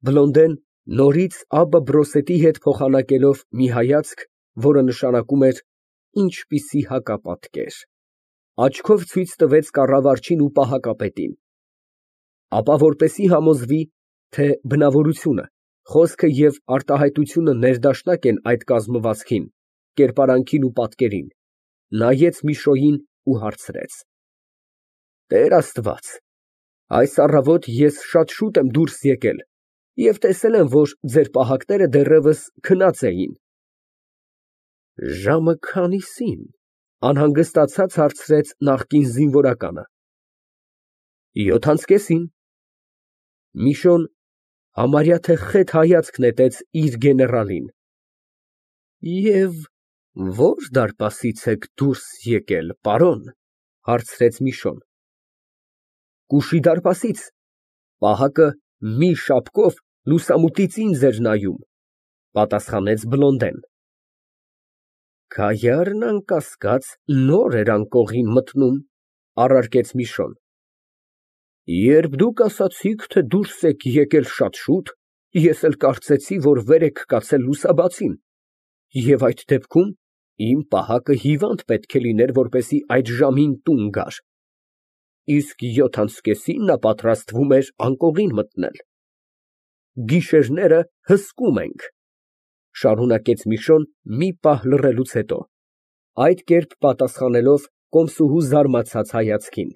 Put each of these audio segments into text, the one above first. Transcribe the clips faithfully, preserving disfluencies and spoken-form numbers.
Բլոնդեն նորից Աբբա Բրոսետի հետ փոխանակելով մի հայացք, որը նշանակում էր ինչպիսի հակապատկեր, աչքով ցույց տվեց կառավարչին ու պահակապետին, ապա որպեսզի համոզվի, թե բնավորությունը, խոսքը և արտահայտությունը ներդաշնակ են այդ կազմվածքին, կերպարանքին ու պատկերին, նայեց Միշոյին ու հարցրեց. Տեր Աստված, այս առավոտ ես շատ շուտ եմ դուրս եկել և տեսել եմ, որ ձեր պահակները դեռևս քնած էին։ Ժամը քանի՞սին, անհանգստացած հարցրեց նախկին զինվորականը։ Յոթ անց կեսին։ Միշոն համարյա թե խետ հայացք նետեց իր գեներալին։ Եվ ո՞ր դարպասից եք դուրս եկել, պարոն, հարցրեց Միշոն։ Կուշի դարպասից, պահակը մի շապկով լուսամուտից ինձ էր նայում, պատասխանեց Բլոնդեն։ Քայարն անկասկած նոր էր անկողին մտնում, առարկեց Միշոն։ Երբ դուք ասացիք, թե դուրս եք եկել շատ շուտ, ես էլ կարծեցի, որ վեր եք կացել լուսաբացին, և այդ դեպքում իմ պահակը հիվանդ պետք է լիներ, որպեսզի այդ ժամին տուն գար, իսկ յոթ անց կեսին նա պատրաստվում էր անկողին մտնել։ Գիշերները հսկում ենք, շարունակեց Միշոն մի պահ լռելուց հետո, այդ կերպ պատասխանելով կոմսուհու զարմացած հայացքին։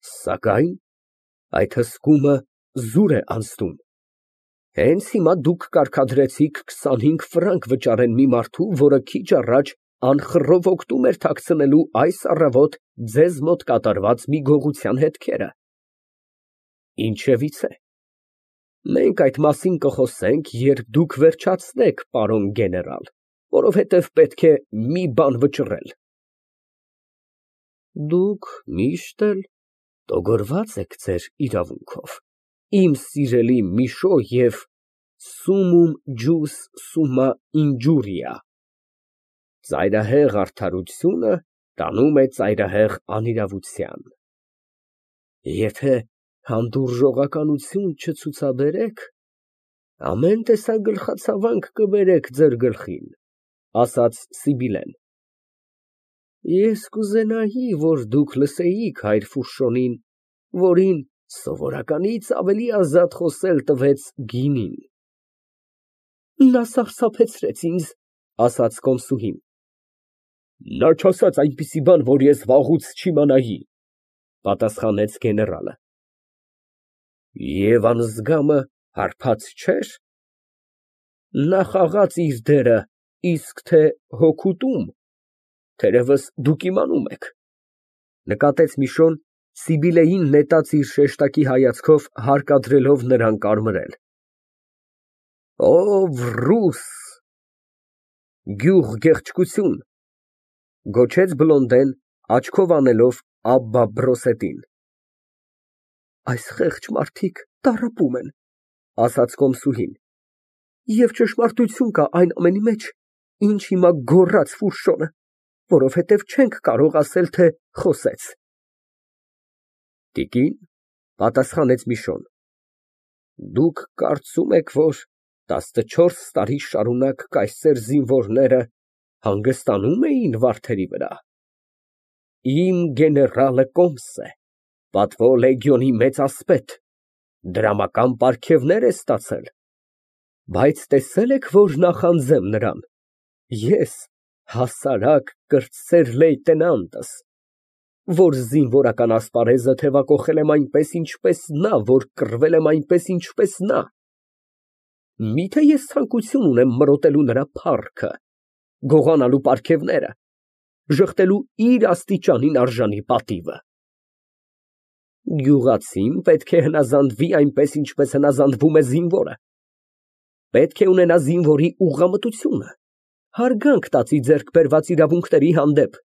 Սակայն այդ հսկումը զուր է անցնում։ Հենց հիմա դուք կարգադրեցիք քսանհինգ ֆրանկ վճարեն մի մարդու, որը քիչ առաջ անխռով օգտում էր թաքցնելու այս առավոտ ձեզ մոտ կատարված մի գողության հետքերը։ Ինչևիցե, մենք այդ մասին կխոսենք, երբ դուք վերջացնեք, պարոն գեներալ, որովհետև պետք է մի բան վճռել։ Դուք միշտ էլ տոգորված եք ձեր իրավունքով, իմ սիրելի Միշո և սումում ջուս սումմա ինջուրիա։ Ծայրահեղ արդարությունը տանում է ծայրահեղ անիրավության։ Եթե հանդուրժողականություն չցուցաբերեք, ամեն տեսակ գլխացավանք կբերեք ձեր գլխին, ասաց Սիբիլեն։ Ես կուզենայի, որ դուք լսեիք հայր Ֆուշոնին, որին սովորականից ավելի ազատ խոսել տվեց գինին։ Նա սարսափեցրեց ինձ, ասաց կոմսուհին։ Նա չասաց այնպիսի բան, որ ես վաղուց չիմանայի, պատասխանեց գեներալը։ Եվ անզգամը հարբած չէր։ Նա խաղաց իր դերը, իսկ թե հոգուտում, թերևս դուք իմանում եք, նկատեց Միշոն, Սիբիլեին նետած իր շեշտակի հայացքով հարկադրելով նրան կարմրել։ Ով ռուս գյուղգեղեցկություն, գոչեց Բլոնդեն, աչքով անելով Աբբա Բրոսետին։ Այս խեղճ մարդիկ տառապում են, ասաց կոմսուհին, և ճշմարտություն կա այն ամենի մեջ, ինչ հիմա գոռաց Ֆուշոնը, որովհետև չենք կարող ասել, թե խոսեց։ Տիկին, պատասխանեց Միշոն, դուք կարծում եք, որ տասնչորս տարի շարունակ կայսեր զինվորները հանգստանում էին վարդերի վրա։ Իմ գեներալը կոմս է, պատվո լեգիոնի մեծ ասպետ, դրամական պարգևներ է ստացել, բայց տեսե՞լ եք, որ նախանձեմ նրան, ես հասարակ կրտսեր լեյտենանտս, որ զինվորական ասպարեզը թևակոխել եմ այնպես, ինչպես նա, որ կռվել եմ այնպես, ինչպես նա։ Միթե ես ցանկություն ունեմ մրոտելու նրա փառքը, գողանալու պարգևները, ժխտելու իր աստիճանին արժանի պատիվը։ Գյուղացին պետք է հնազանդվի այնպես, ինչպես հնազանդվում է զինվորը։ Պետք է ունենա զինվորի ուղղամտությունը, հարգանք տածի ձեռք բերված իրավունքների հանդեպ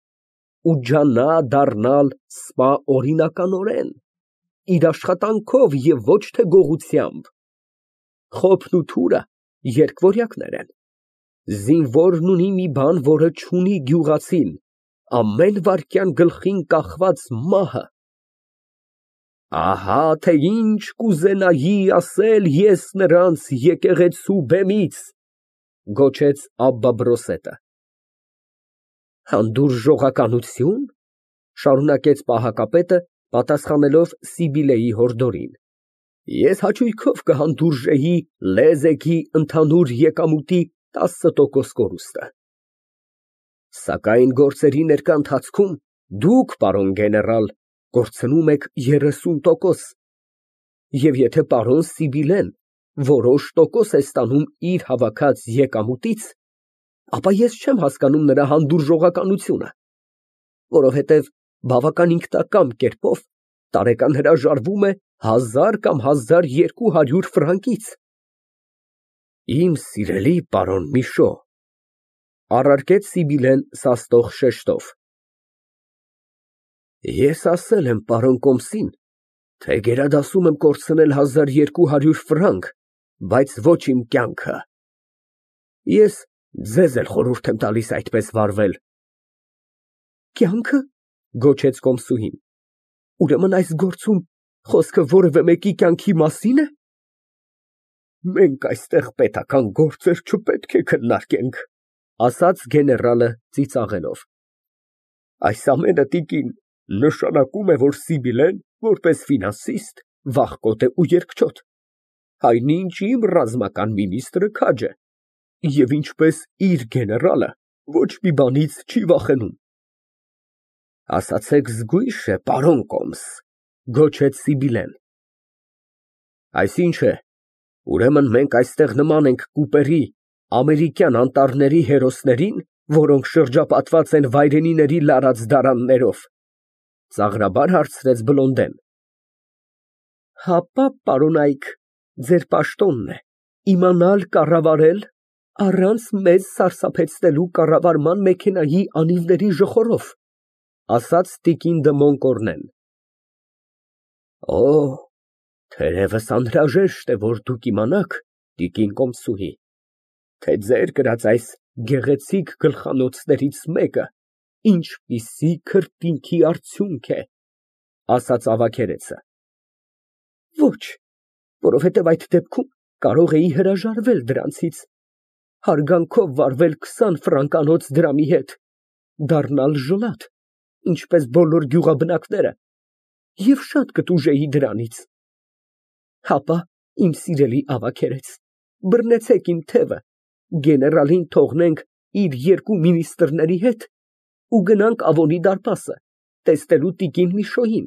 ու ջանա դառնալ սպա օրինականորեն, իր աշխատանքով և ոչ թե գողությամբ։ Խոփն ու թուրը երկվորյակներ են։ Զինվորն ունի մի բան, որը չունի գյուղացին, ամեն վայրկյան գլխին կախված մահը։ Ահա թե ինչ կուզենայի ասել ես նրանց եկեղեցու բեմից, գոչեց Աբբա֊Բրոսետը։ Հանդուրժողականությո՞ւն, շարունակեց պահակապետը, պատասխանելով Սիբիլեի հորդորին, ես հաճույքով կհանդուրժեի լեզեքի ընդհանուր եկամուտի տասը տոկոս կորուստը, սակայն գործերի ներկա ընթացքում դուք, պարոն գեներալ, կորցնում եք երեսուն տոկոս, և եթե պարոն Սիբիլեն որոշ տոկոս է ստանում իր հավաքած եկամուտից, ապա ես չեմ հասկանում նրա հանդուրժողականությունը, որովհետև բավական ինքնակամ կերպով տարեկան հրաժարվում է հազար կամ հազար երկու հարյուր ֆրանկից։ Իմ սիրելի պարոն Միշո, առարկեց Սիբիլեն սաստող շեշտով, ես ասել եմ պարոն Կոմսին, թե գերադասում եմ կորցնել հազար երկու հարյուր ֆրանկ, բայց ոչ իմ կյանքը։ Ես ձեզ էլ խորհուրդ եմ տալիս այդպես վարվել։ Կյանքը, գոչեց կոմսուհին, ուրեմն այս գործում խոսքը որևէ մեկի կյանքի մասի՞ն է։ Մենք այստեղ պետական գործեր չպետք է քննարկենք, ասաց գեներալը ծիծաղելով։ Այս ամենը, տիկին, նշանակում է, որ Սիբիլեն, որպես ֆինանսիստ, վախկոտ է ու երկչոտ, այնինչ իմ ռազմական մինիստրը քաջ է, և ինչպես իր գեներալը, ոչ մի բանից չի վախենում։ Ասացեք զգույշ է, պարոն Կոմս, գոչեց Սիբիլեն։ Այսինչ է, ուրեմն մենք այստեղ նման ենք կուպերի, ամերիկյան անտառների հերոսներին, որոնք շրջապատված են վայրենիների լարած դարաններով, ծաղրաբար հարցրեց Բլոնդեն։ Հապա, պարոնայք, ձեր պաշտոնն է իմանալ կառավարել առանց մեզ սարսափեցնելու կառավարման մեքենայի անիվների ժխորով, ասաց տիկին դը Մոնկորնեն։ Օ, թերևս անհրաժեշտ է, որ դուք իմանաք, տիկին կոմսուհի, թե ձեր կրած այս գեղեցիկ գլխանոցներից մեկը ինչպիսի քրտինքի արդյունք է, ասաց ավագերեցը։ Ոչ, որովհետև այդ դեպքում կարող էի հրաժարվել դրանցից, հարգանքով վարվել քսան ֆրանկանոց դրամի հետ, դառնալ ժլատ, ինչպես բոլոր գյուղաբնակները, և շատ կտուժեի դրանից։ Հապա, իմ սիրելի ավագերեց, բռնեցեք իմ թևը, գեներալին թողնենք իր երկու մինիստրների հետ ու գնանք Ավոնի դարպասը, տեսնելու տիկին Միշոյին,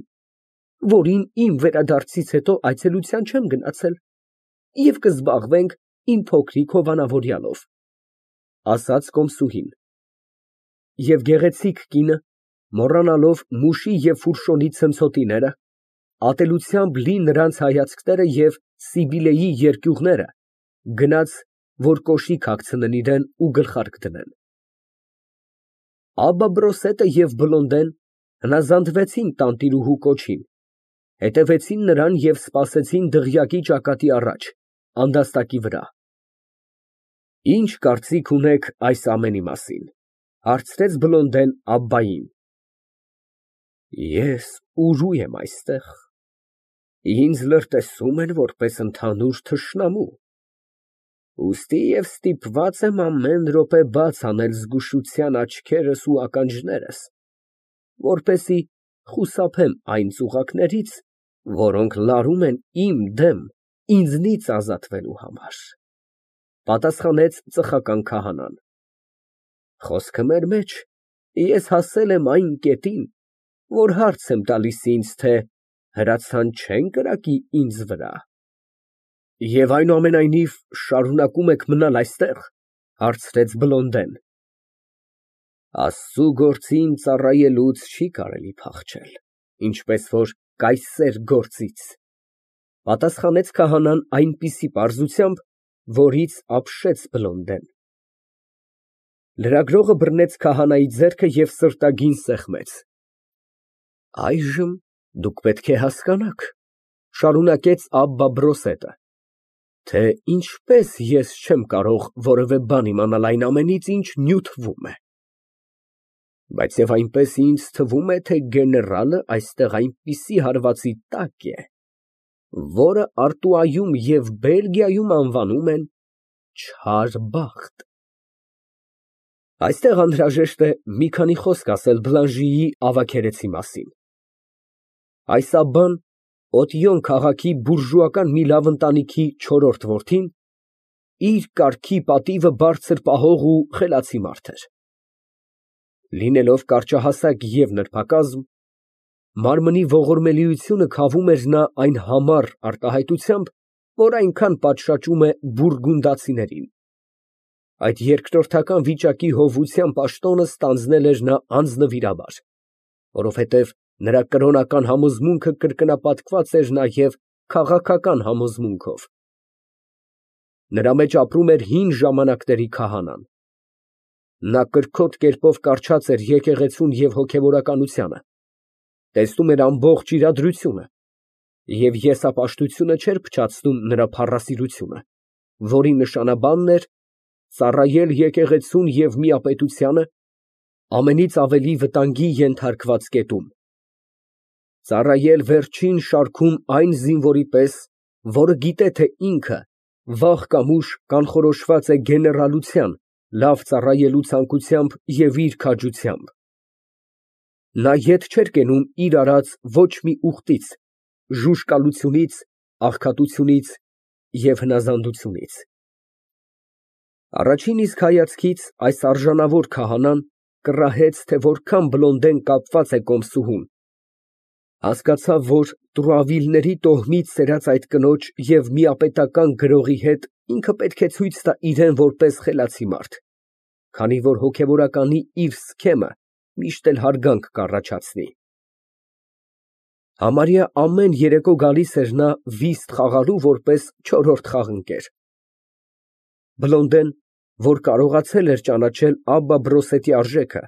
որին իմ վերադարձից հետո այցելության չեմ գնացել, և կզբաղվենք իմ փոքրիկ հովանավորյալով, ասաց կոմսուհին։ Եվ գեղեցիկ կինը, մոռանալով մուշի և ֆուրշոնի ցնցոտիները, ատելությամբ լի նրանց հայացքները և Սիբիլեի երկյուղները, գնաց, որ կոշիկ հագցնեն իրան ու գլխարկ դնեն։ Աբբա֊Բրոսետը և Բլոնդեն հնազանդվեցին տանտիրուհու կոչին, հետևեցին նրան և սպասեցին դղյակի ճակատի առաջ, անդաստակի վրա։ Ինչ կարծիք ունեք այս ամենի մասին, հարցրեց Բլոնդեն Աբբային։ Ես ուժու եմ այստեղ, ինձ լրտեսում են որպես ընդհանուր թշնամու, ուստի և ստիպված եմ ամեն րոպե բաց անել զգուշության աչքերս ու ականջներս, որպեսզի խուսափեմ այն ծուղակներից, որոնք լարում են իմ դեմ ինձնից ազատվելու համար, պատասխանեց ծխական քահանան։ Խոսքը մեր մեջ, ես հասել եմ այն կետին, որ հարց եմ տալիս ինձ, թե հրացան չեն կրակի ինձ վրա։ Եվ այնուամենայնիվ շարունակում եք մնալ այստեղ, հարցրեց Բլոնդեն։ Աստծու գործին ծառայելուց չի կարելի փախչել, ինչպես որ կայսեր գործից, պատասխանեց քահանան այնպիսի պարզությամբ, որից ապշեց Բլոնդեն։ Լրագրողը բռնեց քահանայի ձեռքը և սրտագին սեղմեց։ Այժմ դուք պետք է հասկանաք, շարունակեց Աբբա֊Բրոսետը, թե ինչպես ես չեմ կարող որևէ բան իմանալ այն ամենից, ինչ նյութվում է։ Բայց և այնպես ինձ թվում է, թե գեներալը այստեղ այնպիսի հարվածի տակ է, որը Արտուայում և Բելգիայում անվանում են չար բախտ։ Այստեղ անհրաժեշտ է մի քանի խոսք ասել Բլանժիի ավագերեցի մասին։ Այս Աբբան Օտիոն քաղաքի բուրժուական մի լավ ընտանիքի չորրորդ որդին, իր կարգի պատիվը բարձր պահող ու խելացի մարդ էր։ Լինելով կարճահասակ և նրբակազմ, մարմնի ողորմելիությունը քավում էր նա այն համառ արտահայտությամբ, որ այնքան պատշաճում է բուրգունդացիներին։ Այդ երկրորդական վիճակի հովության պաշտոնը ստանձնել էր նա անձնվիրաբար, որովհետև նրա կրոնական համոզմունքը կրկնապատկված էր նաև քաղաքական համոզմունքով։ Նրա մեջ ապրում էր հին ժամանակների քահանան։ Նա կրքոտ կերպով կառչած էր եկեղեցուն և հոգևորականությանը, տեսնում էր ամբողջ իրադրությունը և եսապաշտությունը չէր փչացնում նրա փառասիրությունը, որի նշանաբանն էր ծառայել եկեղեցուն և միապետությանը ամենից ավելի վտանգի ենթարկված կետում, ծառայել վերջին շարքում այն զինվորի պես, որը գիտե, թե ինքը վաղ կամ ուշ կանխորոշված է գեներալության լավ ծառայելու ցանկությամբ և իր քաջությամբ։ Նա ետ չէր կենում իր արած ոչ մի ուխտից, ժուժկալությունից, աղքատությունից և հնազանդությունից։ Առաջին իսկ հայացքից այս արժանավոր քահանան կռահեց, թե որքան Բլոնդեն կապված է կոմսուհուն, հասկացավ, որ տուրավիլների տոհմից սերած այդ կնոջ և միապետական գրողի հետ ինքը պետք է ցույց տա իրան որպես խելացի մարդ, քանի որ հոգևորականի իր սքեմը միշտ էլ հարգանք կառաջացնի։ Համարյա ամեն երեկո գալիս էր նա վիստ խաղալու որպես չորրորդ խաղընկեր։ Բլոնդեն, որ կարողացել էր ճանաչել Աբբա Բրոսետի արժեքը,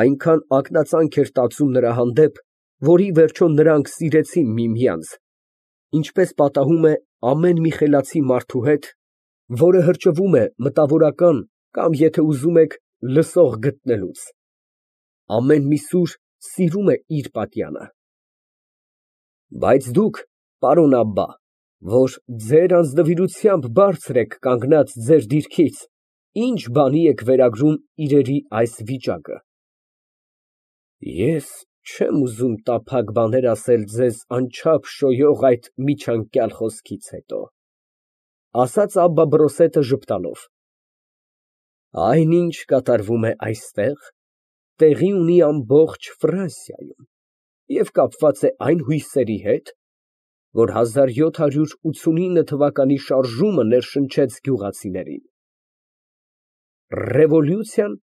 այնքան ակնածանք էր տածում նրա հանդեպ, որ ի վերջո նրանք սիրեցին միմյանց, ինչպես պատահում է ամեն մի խելացի մարդու հետ, որը հրճվում է մտավորական կամ, եթե ուզում եք, լսող գտնելուց։ Ամեն մի սուր սիրում է իր պատյանը։ Բայց դուք, պարոն Աբբա, որ ձեր անձնվիրությամբ բարձր եք կանգնած ձեր դիրքից, ի՞նչ բանի եք վերագրում իրերի այս վիճակը։ Ես չեմ ուզում տափակ բաներ ասել ձեզ անչափ շոյող այդ միջանկյալ խոսքից հետո, ասաց Աբբա Բրոսետը ժպտալով, այն, ինչ կատարվում է այստեղ, տեղի ունի ամբողջ Ֆրանսիայում և կապված է այն հույսերի հետ, որ հազար յոթ հարյուր ութսունինը թվականի շարժումը ներշնչեց գյուղացիներին։ Ռևոլյուցիան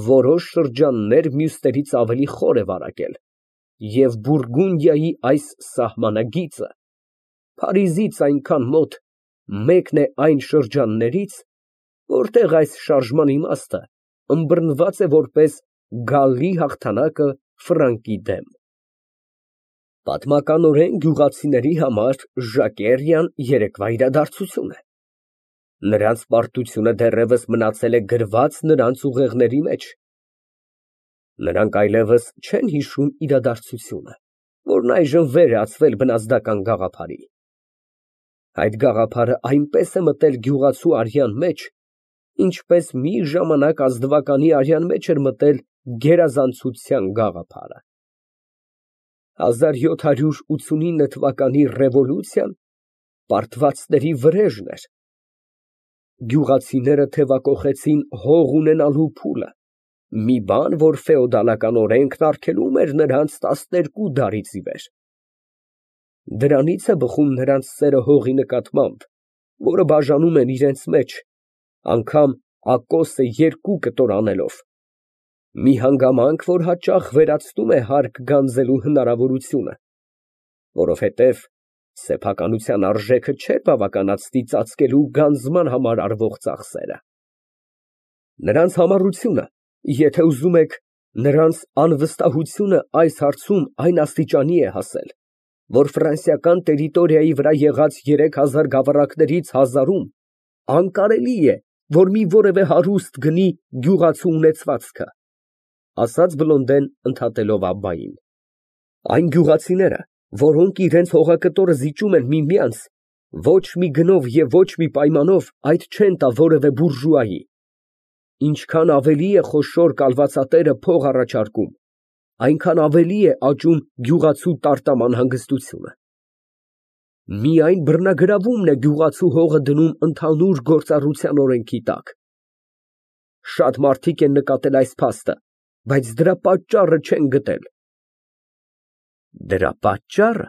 որոշ շրջաններ մյուսներից ավելի խոր է վարակել, և Բուրգունդիայի այս սահմանագիծը Փարիզից այնքան մոտ մեկն է այն շրջաններից, որտեղ այս շարժման իմաստը ըմբռնված է որպես գալլի հաղթանակը Ֆրանկի դեմ։ Պատմականորեն գյուղացիների համար Ժակերիան երեկվա իրադարձություն է։ Նրանց պարտությունը դեռևս մնացել է գրված նրանց ուղեղների մեջ։ Նրանք այլևս չեն հիշում իրադարձությունը, որն այժմ վեր է ածվել բնազդական գաղափարի։ Այդ գաղափարը այնպես է մտել գյուղացու արյան մեջ, ինչպես մի ժամանակ ազնվականի արյան մեջ էր մտել գերազանցության գաղափարը։ հազար յոթ հարյուր ութսունինը թվականի ռևոլյուցիան պարտվածների վրեժն էր։ Գյուղացիները թևակոխեցին հող ունենալու փուլը, մի բան, որ ֆեոդալական օրենքն արգելում էր նրանց տասներկու դարից ի վեր։ Դրանից է բխում նրանց սերը հողի նկատմամբ, որը բաժանում են իրենց մեջ, անգամ ակոսը երկու կտոր անելով, մի հանգամանք, որ հաճախ վերացնում է հարկ գանձելու հնարավորությունը, որովհետև սեփականության արժեքը չէր բավականացնի ծածկելու գանձման համար արվող ծախսերը։ Նրանց համառությունը, եթե ուզում եք, նրանց անվստահությունը այս հարցում այն աստիճանի է հասել, որ ֆրանսիական տերիտորիայի վրա եղած երեք հազար գավառակներից հազարում անկարելի է, որ մի որևէ հարուստ գնի գյուղացու ունեցվածքը։ ասաց Բլոնդեն, ընդհատելով Աբբային։ Այն գյուղացիները, որոնք իրենց հողակտորը զիջում են միմյանց, ոչ մի գնով և ոչ մի պայմանով այդ չեն տա որևէ բուրժուայի։ Ինչքան ավելի է խոշոր կալվածատերը փող առաջարկում, այնքան ավելի է աճում գյուղացու տարտամ անհանգստությունը։ Միայն բռնագրավումն է գյուղացու հողը դնում ընդհանուր գործառության օրենքի տակ։ Շատ մարդիկ են նկատել այս փաստը, բայց դրա պատճառը չեն գտել։ Դրա պատճառը,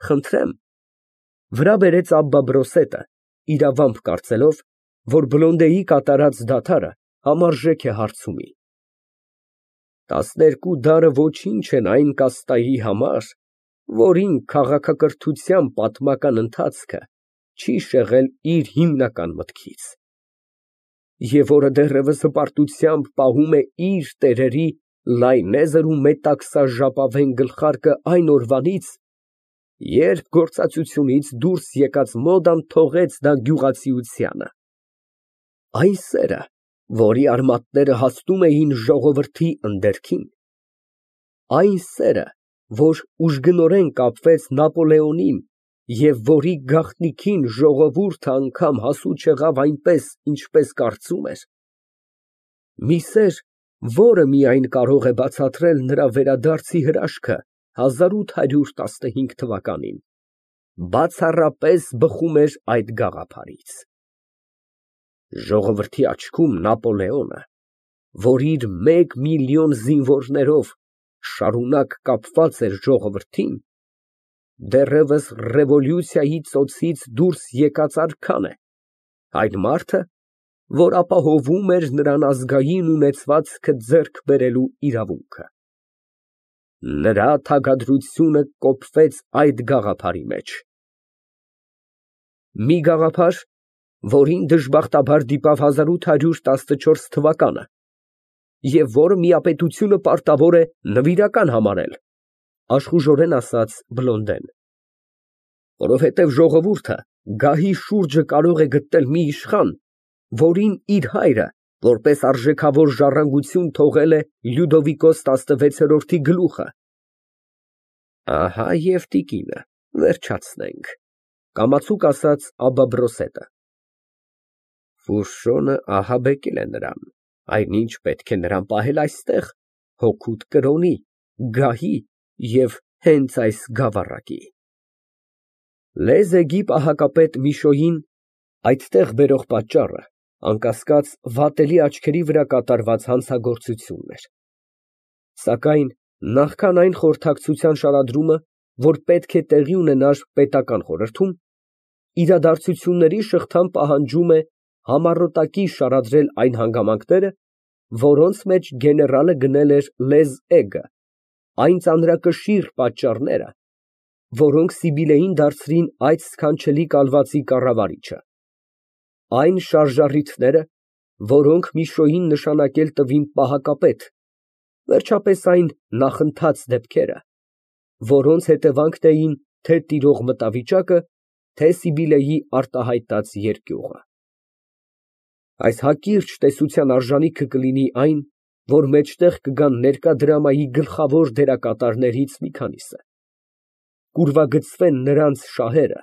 խնդրեմ, վրա բերեց Աբբա Բրոսետը, իրավամբ կարծելով, որ Բլոնդեի կատարած դադարը համարժեք է հարցումի։ Տասներկու դարը ոչինչ են այն կաստայի համար, որին քաղաքակրթության պատմական ընթացքը չի շեղել իր հիմնական մտքից, և որը դեռևս հպարտությամբ պահում է իր տերերի լայնեզր ու մետաքսաժապավեն գլխարկը այն օրվանից, երբ գործածությունից դուրս եկած մոդան թողեց դա գյուղացիությանը, այն սերը, որի արմատները հասնում էին ժողովրդի ընդերքին, այն սերը, որ ուժգնորեն կապվեց Նապոլեոնին և որի գաղտնիքին ժողովուրդը անգամ հասու չեղավ այնպես, ինչպես կարծում էր, մի սեր, որը միայն կարող է բացատրել նրա վերադարձի հրաշքը հազար ութ հարյուր տասնհինգ թվականին, բացառապես բխում էր այդ գաղափարից։ Ժողովրդի աչքում Նապոլեոնը, որ իր մեկ միլիոն զինվորներով շարունակ կապված էր ժողովրդին, դեռևս ռևոլյուցիայի ծոցից դուրս եկած արքան է, այն մարդը, որ ապահովում էր նրան ազգային ունեցվածքը ձեռք բերելու իրավունքը։ Նրա թագադրությունը կոփվեց այդ գաղափարի մեջ։ Մի գաղափար, որին դժբախտաբար դիպավ հազար ութ հարյուր տասնչորս թվականը, և որը միապետությունը պարտավոր է նվիրական համարել, աշխուժորեն ասաց Բլոնդեն, որովհետև ժողովուրդը գահի շուրջը կարող է գտնել մի իշխան, որին իր հայրը, որպես արժեքավոր ժառանգություն թողել է Լյուդովիկոս տասնվեցերորդի գլուխը։ Ահա և տիկինը, վերջացնենք, կամացուկ ասաց Աբբա Բրոսետը։ Ֆուշոն ահաբեկել է նրան, այնինչ պետք է նրան պահել այստեղ, հօգուտ կրոնի, գահի և հենց այս գավառակի։ Լեզեգի պահակապետ Միշոյին այդտեղ բերող պատճառը, անկասկած, վատելի աչքերի վրա կատարված հանցագործությունն էր։ Սակայն նախքան այն խորհրդակցության շարադրումը, որ պետք է տեղի ունենար պետական խորհրդում, իրադարձությունների շղթան պահանջում է համառոտակի շարադրել այն հանգամանքները, որոնց մեջ գեներալը գնել էր լեզ էգը, այն ծանրակշիռ պատճառները, որոնք Սիբիլեին դարձրին այդ սքանչելի կալվածի կառավարիչը, այն շարժառիթները, որոնք Միշոյին նշանակել տվին պահակապետ, վերջապես այն նախընթաց դեպքերը, որոնց հետևանքն էին թե տիրող մտավիճակը, թե Սիբիլեի արտահայտած երկյուղը։ Այս հակիրճ տեսության արժանիքը կլինի այն, որ մեջտեղ կգան ներկա դրամայի գլխավոր դերակատարներից մի քանիսը, կուրվագծվեն նրանց շահերը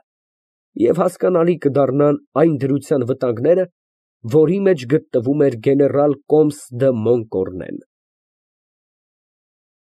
և հասկանալի կդառնան այն դրության վտանգները, որի մեջ գտնվում էր գեներալ Կոմս դը Մոնկորնեն։